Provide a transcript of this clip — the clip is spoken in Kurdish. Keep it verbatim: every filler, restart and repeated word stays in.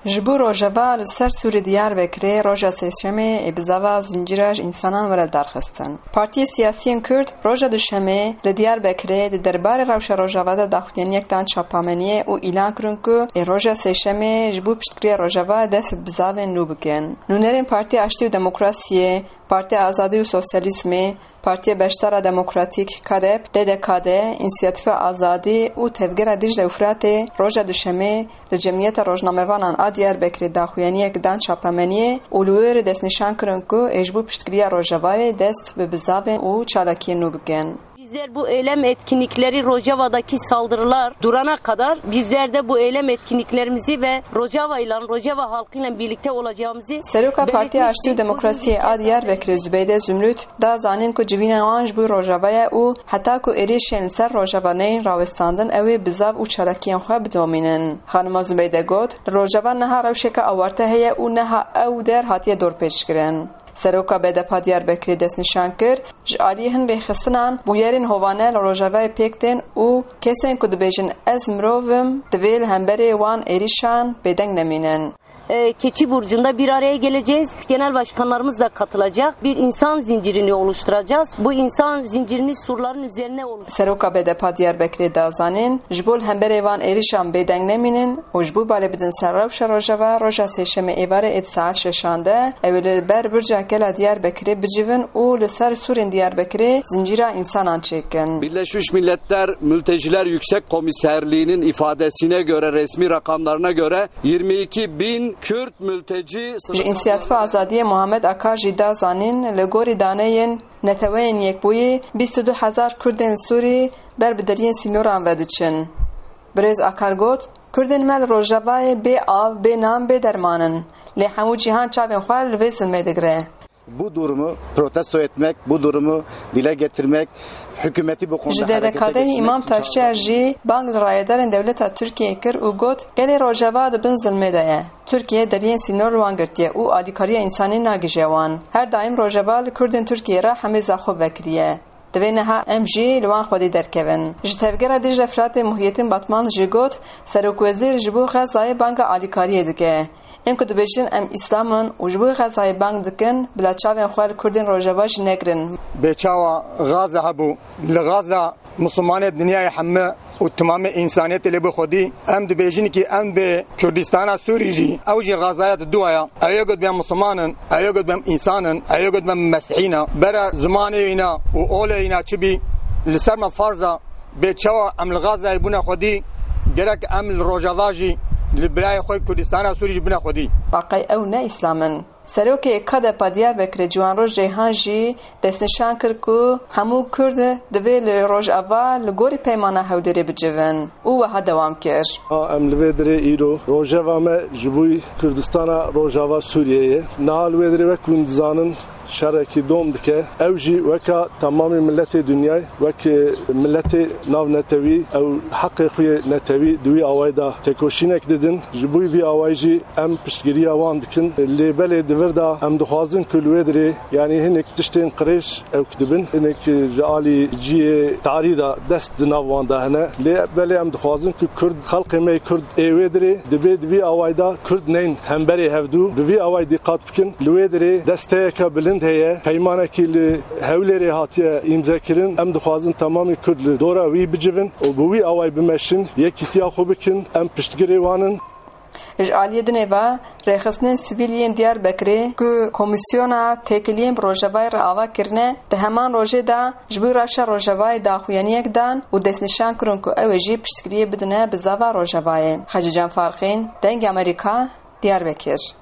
Ji bo Rojava li ser Sûrî Diyarbekirê roja Sêşemê ê bizava zincîra ji însanan were darxistin. Partiyê siyasiyên Kurd roja Duşemê li Diyarbekirê di derbarê rewşa Rojava de daxuyaniyek dan çapameniyê û îlan kirin ku ê roja Sêşemê ji bo piştgiriya Rojava dest bi bizavên nû bikin. Nûnerên Partiya Aştî û Demokrasiyê, Partiya Azadî û Sosyalîzmê, Partiya Beşdara Demokratîk, KADEP, D D K D, Însiyatîfa Azadî û Tevgera Dîcle û Firatê roja Duşemê li cemiyeta rojnamevanan a Diyarbekirê daxuyaniyek dan çapemeniyê û li wê re destnîşan kirin ku ê ji bo piştgiriya Rojavayê dest bi bizavên û çalakiyên nû bikin. Bizler bu eylem etkinlikleri, Rojava'daki saldırılar durana kadar bizler de bu eylem etkinliklerimizi ve Rojava ile, Rojava halkıyla birlikte olacağımızı Seroka Partiya Aştî û Demokrasiyê a Diyarbekirê Zubeyde Zümrüt da zanîn ku civîna wan ji bo Rojava ye û heta ku êrîşên li ser Rojava neyên rawestandin, ew ê bizav û çalakiyên xwe bidomînin. Xanima Zubeyde got, li Rojava niha rewşeke awarte heye û niha ew der hatiye dorpêçkirin. Seroka B D P a Diyarbekirê destnîşan kir, ji aliyê hin rêxistinan bûyerên hovane li Rojavayê pêk tên û kesên ku dibêjin ez mirov im, divê li hemberê wan êrîşan bêdeng nemînin. E, Keçi Burcu'nda bir araya geleceğiz. Genel başkanlarımız da katılacak. Bir insan zincirini oluşturacağız. Bu insan zincirini surların üzerine oluşturacağız. Seroka B D P a Diyarbekirê da zanîn, ji bo li hemberê van êrîşan bêdeng nemînin û ji bo balê bidin ser rewşa Rojava, roja Sêşemê êvarê êt saet şeşan de ew ê li ber Birca Gela Diyarbekirê bicivin û li ser sûrên Diyarbekirê zincîra însanan çêkin. Birleşmiş Milletler Mülteciler Yüksek Komiserliği'nin ifadesine göre, resmi rakamlarına göre yirmi iki bin Kürt mülteci Ji Însiyatîfa Azadiyê Muhammed Akar jî da zanîn, li gorî daneyên Neteweyên Yekbûyî bîst û du hezar Kurdên Sûrî ber bi deriyên sînoran ve diçin. Birêz Akar got, Kurdên me li Rojavayê bê av, bê nan, bê derman in. Lê hemû cîhan çavên xwe li vê zilmê digire. Bu durumu protesto etmek, bu durumu dile getirmek, hükümeti bu konuda Ji harekete D D K D'ê geçirmek Îmam için Taşçıyer çağırıyorum. Jî bang li rayedarên dewleta Tirkiyeyê kir û got, Gelê Rojava di bin zilmê de ye. Tirkiye deriyên sînor li wan girtiye û alîkariya însanî nagihîje wan. Her daîm Rojava li Kurdên Tirkiyeyê re hemêza xwe vekiriye. Divê niha em jî li wan xwedî derkevin. Ji Tevgera Dîcle Firatê Muhiyettin Batman jî got, Serokwezîr ji bo Xezayê banga alîkariyê dike. Ên ku dibêjin em Îslam in û ji bo Xezayê bang dikin, bila çavên xwe li Kurdên Rojava jî negirin. Bê çawa Gaza hebû? Li Gaza Misilmanê dinyayê hemû û timamê însaniyetê lê bi xwedî. Em dibêjin kî em bi Kurdistana Sûrî jî, ew jî Gazaya di dua ya. Ew yê got bê em Misilman in, ew yê got bê em însan in, ew yê got bê em mesihî ne. Bere zimanê wîna û olê wîna çi bî, li ser me farz e. Bê çawa em li Gazayê bûne xwedî, gerek em li Rojava jî, li birayê xwe Kurdistana Sûrî jî bûne xwedî. Aqey ew ne Îslam in. Serokê KADEP'a Diyarbekirê Ciwanroj Ceyhan jî destnîşan kir ku hemû Kurd divê li Rojava li gorî Peymana Hewlêrê bicivin û wiha dewam kir. Ha, em li vê dirê îro rojeva me ji bo Kurdistana Rojava Sûriyeyê. Niha li wê dirê wek hûn dizanin şerekî dom dike. Ew jî weka temamê miletê dinyayê, wek miletê navnetewî, ew heqê xwe yê netewî di wî awayî de têkoşînek didin. Ji bo vî awayî jî em piştgiriya wan dikin. Lê belê di vir de em dixwazin ku li wê dirê, yanî hinek tiştên qirêj ewk dibin, hinek ji alî cihê tarî de dest di nav wan de hene. Lê belê em dixwazin ku Kurd, xelkê me yê Kurd ê wê dirê dibê di vî awayî de Kurd nên hemberê hevdû. Bi vî awayî dîqat bikin. Li wê dirê desteyeke bilind heye. Peymanekî li Hewlêrê hatiye îmzekirin. Em dixwazin temamî Kurd li dora wî bicivin û bi wî awayî bimeşin, yekîtiya xwe bikin. Em piştgirê wan in. Ji aliyê dinê ve, rêxistinên sivîl yên Diyarbekirê ku Komîsyona Têkiliyên bi Rojavayê re ava kirine, di heman rojê de ji bo rewşa Rojavayê daxuyaniyek dan û destnîşan kirin ku ew ê jî piştgiriyê bidine bizava Rojavayê. Xecîcan Farqîn, Dengê Amerîka, Diyarbekir.